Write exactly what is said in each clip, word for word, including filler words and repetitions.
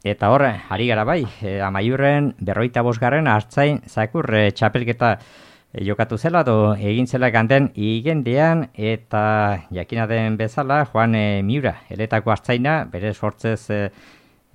Eta hor, ari gara bai, e, Amaiurren berroita bosgarren hartzain zakur e, txapelketa e, jokatu zela, do egin zela ganten igendean, eta jakina den bezala, Juan e, Miura, eletako hartzaina, bere sortzez, e,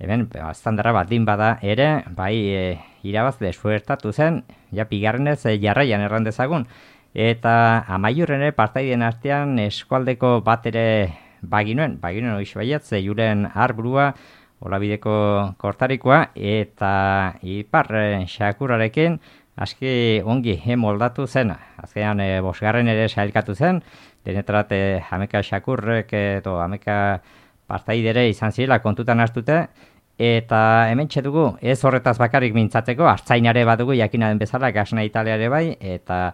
hemen, aztandara bat din bada ere, bai e, irabazle suertatu zen, ja pigarrenez e, jarraian erran dezagun, eta Amaiurren ere partaiden artean eskualdeko bat ere baginuen, baginuen oiz baiat, ze Julen Arburua, Olabideko kortarikoa, eta ipar e, xakurarekin aski ongi moldatu zena. Azkenean e, bosgarren ere sailkatu zen, denetarat e, hameka xakurrek edo hameka partaidere izan zirela kontutan hartute, eta hemen dugu ez horretaz bakarrik mintzatzeko, hartzainare badugu jakina den bezala, gasna italiare bai, eta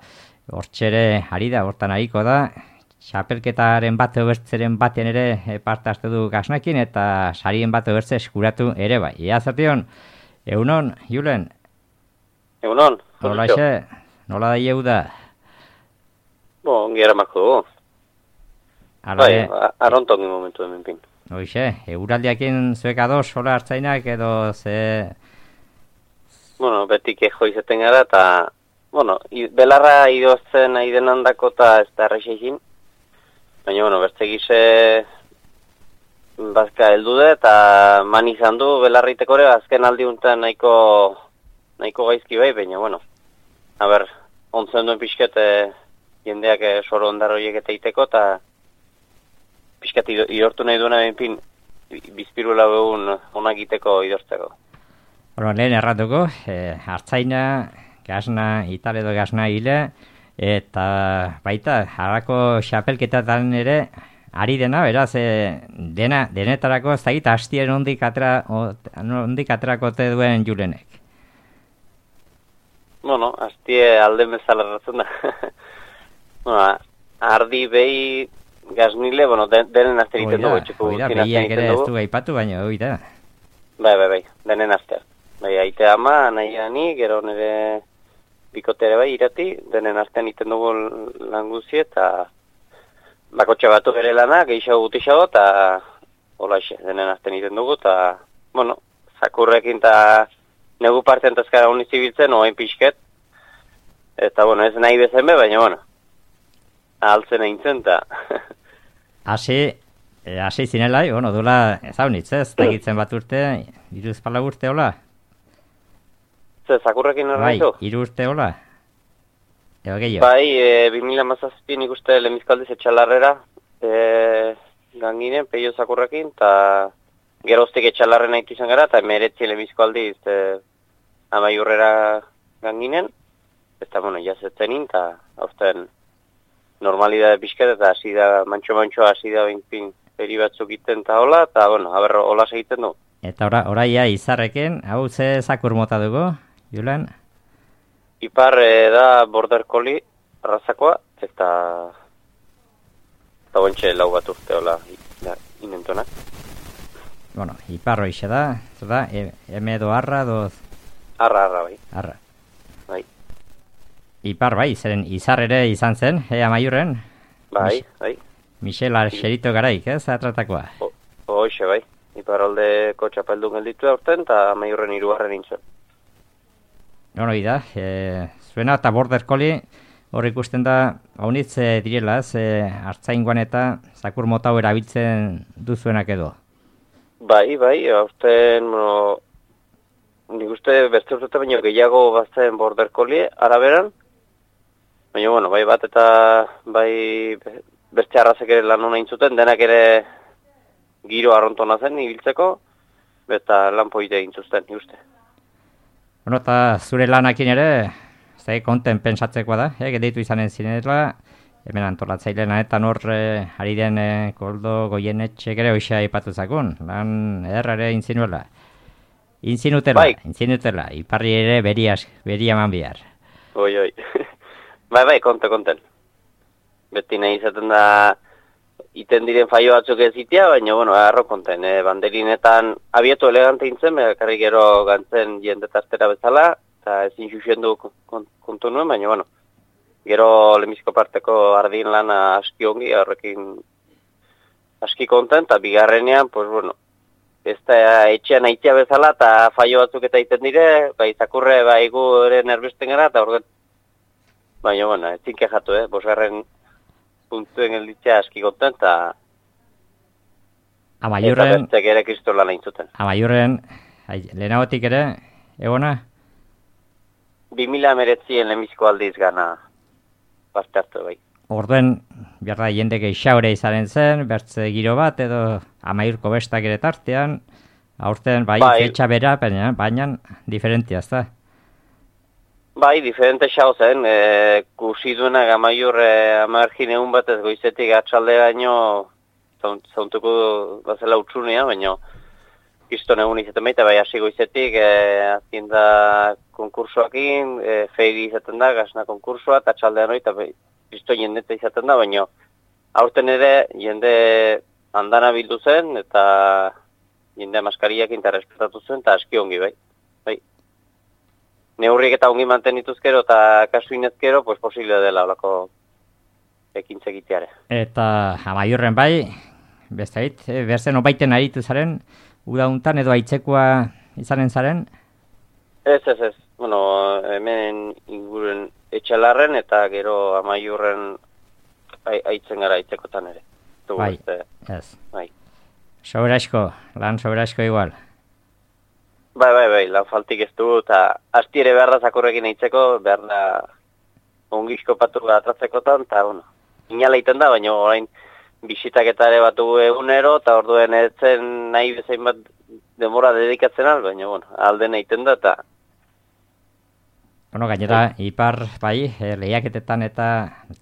hortxere ari da, hortan ariko da, txapelketaren bat obertzeren batean ere parte hartu du gasnakin eta sarien bat obertze eskuratu ere bai. Ia zertion, egunon, Julen? Egunon. Nola xe, nola da ieu da? Bo, ongi eramako dugu. Bai, arrontongi momentu hemen pin. Hoxe, euraldiakin zuek ados, sola hartzainak edo ze... Bueno, betik ejo izaten gara eta... Bueno, belarra idozten nahi denandako eta ez da errexekin. Baina, bueno, beste gize bazka heldu da eta man izan du belarriteko ere azken aldi untan nahiko, nahiko gaizki bai, baina, bueno, a ber, ontzen duen pixket jendeak soro ondar horiek eta iteko eta pixket idortu nahi duena benpin bizpirula begun onak iteko idortzeko. Bueno, lehen erratuko, eh, hartzaina, gasna, itale edo gasna hile, eta baita, harako xapelketatan ere, ari dena, beraz, e, dena, denetarako ez dakit hastien ondik atera, ondik aterakote duen Julenek. Bueno, hastie alde bezala erratzen da. Bueno, ardi behi gaznile, bueno, denen azte egiten dugu. Oida, behiak ere ez du gaipatu, baina oida. Bai, bai, bai, denen azte. Bai, aite ama, nahi ani, gero nire... Bikotere bai irati, denen artean iten dugu lan guzi eta bakotxa batu bere lana, gehiago gutixago eta holaxe, denen artean iten dugu eta, bueno, zakurrekin eta negu partean tazkara honi zibiltzen, oain pixket, eta, bueno, ez nahi bezen be, baina, bueno, ahaltzen eintzen eta... Hasi, hasi zinela, bueno, dula, ez hau nitz, ez, tegitzen bat urte, iruz pala urte, hola? Zakurrekin erraitu? Bai, hiru urte hola? Ego gehiago? Bai, e, bi mila hamazazpi nik uste lemizkaldiz etxalarrera e, ganginen, peio zakurrekin, eta geroztik etxalarren nahitu izan gara, eta emeretzi lemizkaldiz e, Amaiurrera ganginen, eta, bueno, jazetzenin, eta hauzten normalidade pixket, eta hasi da, mantxo-mantxo hasi da binpin peri batzuk iten eta hola, eta, bueno, haber, hola segiten du. Eta ora, oraia izarrekin, hau ze zakur mota dugu? Julen? Ipar e, da border collie arrazakoa, eta eta bontxe lau bat urte hola inentonak. Bueno, ipar hoixe da, da, eme edo arra, doz... Arra, arra, bai. Arra. Bai. Ipar bai, zeren izar ere izan zen, e, Amaiurren? Bai, bai. Michel Arxerito garaik, ez, atratakoa? Hoixe, bai. Ipar aldeko txapeldun gelditu aurten, eta Amaiurren hirugarren nintzen. Bueno, da, e, zuena eta border collie hor ikusten da, haunitz e, direla, ez, e, hartzaingoan eta zakur mota hau erabiltzen duzuenak edo? Bai, bai, aurten, bueno, nik uste beste urte baino gehiago bazten border collie araberan, baina, bueno, bai bat eta bai beste arrazek ere lan hona intzuten, denak ere giro arrontona zen ibiltzeko, eta lan poite intzuzten, nik uste. Bueno, eta zure lanakin ere, ze konten pensatzekoa da, eh, gedeitu izanen zinela, hemen antolatzaile lanetan hor eh, ari den eh, Koldo Goienetxek ere hoxe aipatu zakun, lan ederra ere intzinuela. Intzinutela, bai. intzinutela, iparri ere beri, beri eman bihar. Oi, oi. bai, bai, konte, konten. Beti nahi izaten da iten diren faio batzuk ez itea, baina, bueno, arro konten, eh, banderinetan abietu elegante intzen, bekarri gero gantzen jendetaztera bezala, eta ezin xuxendu kontu nuen, baina, bueno, gero lemizko parteko ardin lana aski ongi, horrekin aski konten, eta bigarrenean, pues, bueno, ez da etxean aitzia bezala, eta faio batzuk eta egiten dire, bai, zakurre, bai, gu ere nerbesten gara, eta orduan, baina, bueno, ez zinke jatu, eh, bosgarren puntuen gelditzea aski konten, eta Amaiurren, eta bertzek ere kristola nahi zuten. Amaiurren, lehenagotik ere, egona? bi mila meretzien lehenbiziko aldiz gana parte hartu bai. Orduen, behar da, jende geixaure izaren zen, bertze giro bat, edo amaiurko bestak ere tartean, aurten, bai, bai. fetxa bera, baina, baina diferentia, ez da? Bai, diferente xau zen, e, kusi duena gamaiur e, amargin egun bat ez goizetik atxalde baino zauntuko bazela utxunea, baina kiston egun izaten baita, bai hasi goizetik, e, azien da konkursoakin, e, feiri izaten da, gasna konkursoa, eta atxaldean hori, eta kristo jendeta izaten da, baina aurten ere jende andana bildu zen, eta jende maskariak interrespetatu zen, eta aski ongi bai. bai. Neurriek eta ongi mantenituzkero eta kasuinezkero, pues posible dela olako ekintzegiteare. Eta Amaiurren bai, bestait, berzen obaiten aritu zaren, udauntan edo aitzekoa izanen zaren? Ez, ez, ez. Bueno, hemen inguren etxalarren eta gero Amaiurren aitzen gara aitzekotan ere. Tu, bai, este, ez. Bai. Soberasko, lan soberasko igual. Bai, bai, bai, lan faltik ez du, eta asti ere behar da zakurrekin aitzeko, behar da ongizko patu atratzekotan, eta, bueno, inala iten da, baina orain bisitak eta ere batu egunero, eta orduen etzen nahi bezain bat demora dedikatzen al, baina, bueno, alden egiten da, eta... Bueno, gainera, ipar, bai, eh, lehiaketetan eta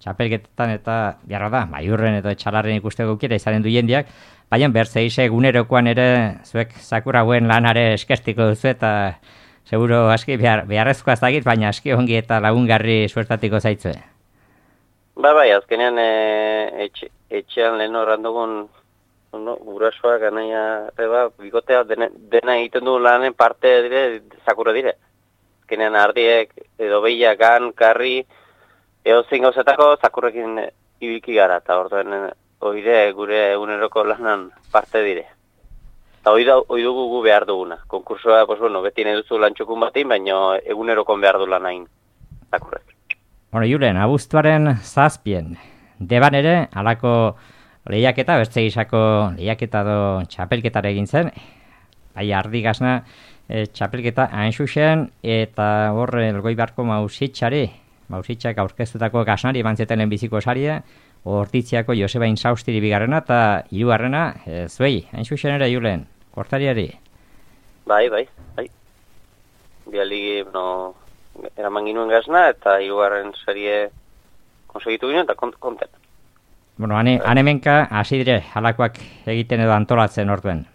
txapelketetan eta, biarra da, Amaiurren edo etxalarren ikusteko aukera izanen du jendiak, baina bertzeize egunerokoan ere zuek zakur hauen lanare eskestiko duzu eta seguro aski behar, beharrezkoa ez dakit, baina aski ongi eta lagungarri suertatiko zaitzue. Ba, bai, azkenean e, etxe, etxean lehen horran dugun no, gurasoak, anaia, reba, bigotea, dena, dena egiten du lanen parte dire, zakurre dire. Azkenean ardiek, edo behiak, gan, karri, edo zein gauzetako zakurrekin ibilki gara, eta orduen oire gure eguneroko lanan parte dire. Eta hoi dugu gu behar duguna. Konkursoa, pues bueno, beti nahi duzu lantxukun batin, baina egunerokon behar du lanain zakurrek. Bueno, Julen, abuztuaren zazpien, deban ere, halako lehiaketa, bertze gizako lehiaketa do txapelketara egin zen, bai ardi gazna e, txapelketa hain zuzen, eta hor elgoi barko mausitxari, mausitxak aurkeztutako gaznari emantzeten lehenbiziko saria, Hortitziako Joseba Insaustiri bigarrena eta hirugarrena e, zuei, hain zuzen ere Julen, kortariari. Bai, bai, bai. Biali, no, eraman ginuen gazna eta hirugarren serie konsegitu ginen eta kont konten. Bueno, ane, anemenka hasi dire halakoak egiten edo antolatzen orduen.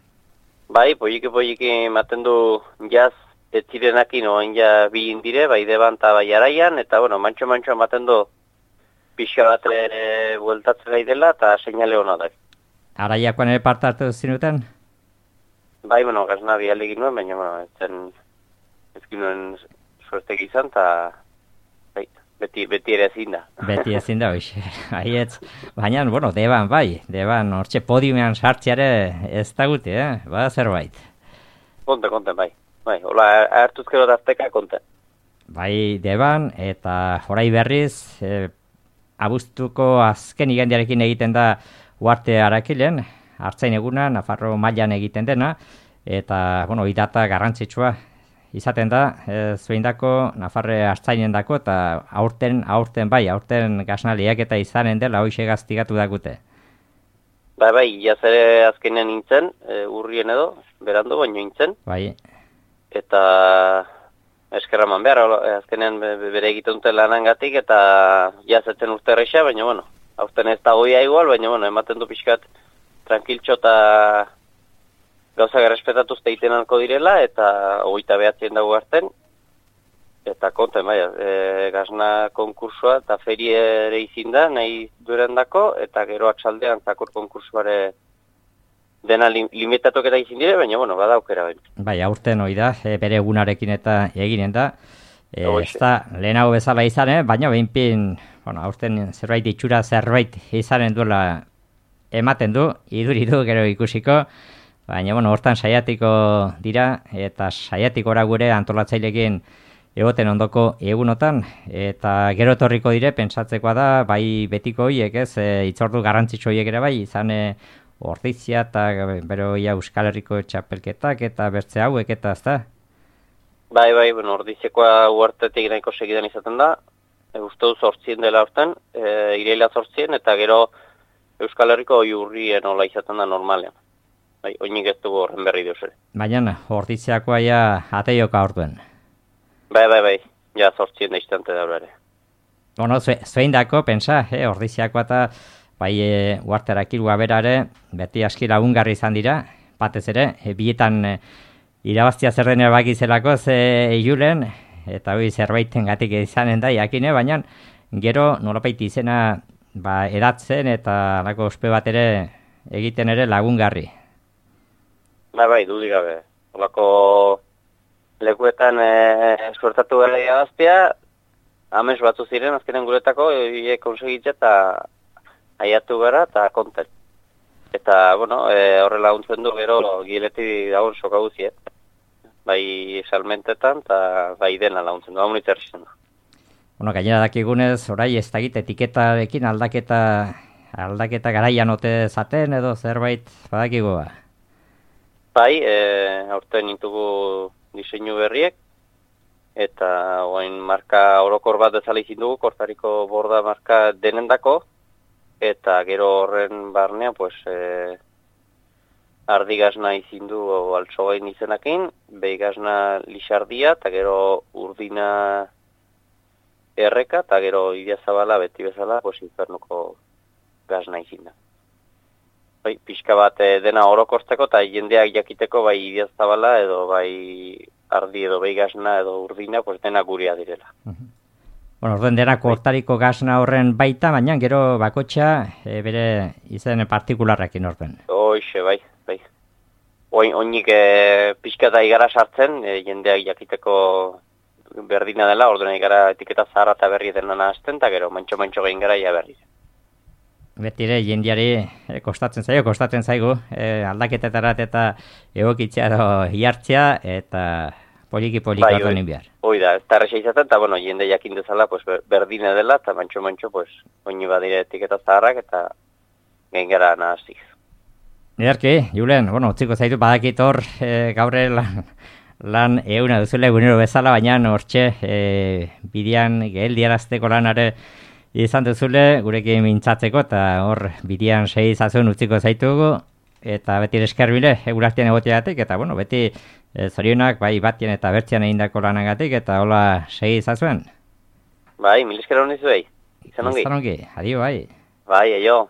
Bai, polliki polliki ematen du jaz ez zirenakin oain ja bi indire, bai deban eta bai araian, eta bueno, mantxo-mantxo ematen du pixka bat ere bueltatzen gai dela eta seinale hona da. Araiakoan ere parte hartu zinuten? Bai, bueno, gazna bialik ginuen, baina bueno, ez zen ez ginuen suertek izan, eta bai, beti, beti ere ezin da. Beti ezin da, hoxe. Aietz, baina, bueno, deban, bai, deban, hortxe podiumean sartziare ez da guti, eh? Ba, zerbait. Konte, konte, bai. Bai, hola, hartuzkero dazteka, konte. Bai, deban, eta orai berriz, e, abuztuko azken igandiarekin egiten da Uarte Arakilen, hartzain eguna, Nafarro mailan egiten dena, eta, bueno, idata garrantzitsua izaten da, e, zueindako, Nafarre hartzainen dako, eta aurten, aurten bai, aurten gaznaliak eta izanen dela, hoxe gaztigatu dakute. Bai, bai, jaz ere azkenean nintzen, e, urrien edo, berandu, baino nintzen. Bai. Eta eskerraman behar, azkenean bere egiten dute lanangatik, eta jazetzen urte erreixa, baina, bueno, aurten ez da goia igual, baina, bueno, ematen du pixkat tranquiltxo eta gauzak errespetatuz teiten alko direla, eta hogeita behatzien dago hartzen, eta konten, bai, e, gazna konkursua eta ferie ere izin da, nahi duren dako, eta gero atxaldean zakur konkursuare dena lim, limitatok eta izin dire, baina, bueno, bada aukera. Baina. Bai, aurten hori da, e, bere egunarekin eta eginen da. E, ez da, lehenago bezala izan, eh? Baina behinpin, bueno, aurten zerbait itxura zerbait izanen duela ematen du, iduri du, gero ikusiko. Baina, bueno, hortan saiatiko dira, eta saiatikora gure antolatzailekin egoten ondoko egunotan, eta gero etorriko dire, pentsatzekoa da, bai betiko horiek, ez, e, itzordu garrantzitsu horiek ere bai, izan e, Ordizia eta bero ia Euskal Herriko txapelketak eta bertze hauek eta ez da? Bai, bai, bueno, Ordiziakoa uartetik nahiko segidan izaten da, e, uste duz zortzien dela horten, e, ireila zortzien, eta gero Euskal Herriko iurrien hola izaten da normalean. Bai, oinik ez dugu horren berri deus ere. Baina, Ordiziakoa ja ateioka orduen. Bai, bai, bai, ja zortzien da iztante da ere. Bueno, zuein dako, pensa, eh, Ordiziakoa eta bai e, uarterak irua berare, beti aski lagungarri izan dira, batez ere, e, bietan e, irabaztia zer denera bakizelako ze julen, eta hori zerbaiten gatik izanen da, jakine, baina gero nolapait izena ba, edatzen eta alako ospe bat ere egiten ere lagungarri. Bai, bai, dudik gabe. Olako lekuetan e, suertatu gara irabaztia, amens batzu ziren, azkenen guretako, e, konsegitza eta aiatu gara eta konten. Eta, bueno, e, horrela laguntzen du gero gileti dagoen soka guzi, eh? Bai salmentetan eta bai dena laguntzen du, hau nitzer izan du. Bueno, gainera dakigunez, orai ez dakit etiketarekin aldaketa aldaketa garaian ote zaten edo zerbait badakigu ba? Bai, e, aurten intugu diseinu berriek, eta oain marka orokor bat bezala izin dugu, kortariko borda marka denendako, eta gero horren barnea, pues, e, ardigazna izin du altsogain izenakin, beigazna lixardia, eta gero urdina erreka, eta gero idiazabala beti bezala, pues, infernuko gazna izin da. Bai, pixka bat e, dena orokortzeko eta jendeak jakiteko bai idiazabala edo bai ardi edo beigazna edo urdina, pues, dena guria direla. Uh-huh. Bueno, orden dena kortariko gazna horren baita, baina gero bakotxa e, bere izen partikularrekin orden. Hoixe, bai, bai. Oin, oinik e, pixka eta igara sartzen, e, jendeak jakiteko berdina dela, ordena igara etiketa zaharra eta berri dena nahazten, eta gero mantxo-mantxo gehin gara ia berri. Betire jendiari e, kostatzen zaio, kostatzen zaigu, e, aldaketetarat eta egokitzea edo hiartzea, eta poliki-poliki bai, ordenin behar. Hoi da, ez da erresa izaten, eta bueno, jende jakin dezala pues, berdine dela, eta mantxo-mantxo pues, oini badire etiketa zaharrak, eta gehin gara nahaziz. Ederki, Julen, bueno, utziko zaitu badakit hor e, gaurre lan, lan euna duzule egunero bezala, baina hortxe e, bidean geldiarazteko lanare izan duzule, gurekin mintzatzeko, eta hor bidean segi zazuen utziko zaitugu, eta beti eskerbile, egurartian egoteatik, eta bueno, beti e, zorionak, bai batien eta bertzian egindako lanagatik, eta hola segi zazuen. Bai, mil esker honi zuei, izan ongi. Izan ongi, adio, bai. Bai, aio.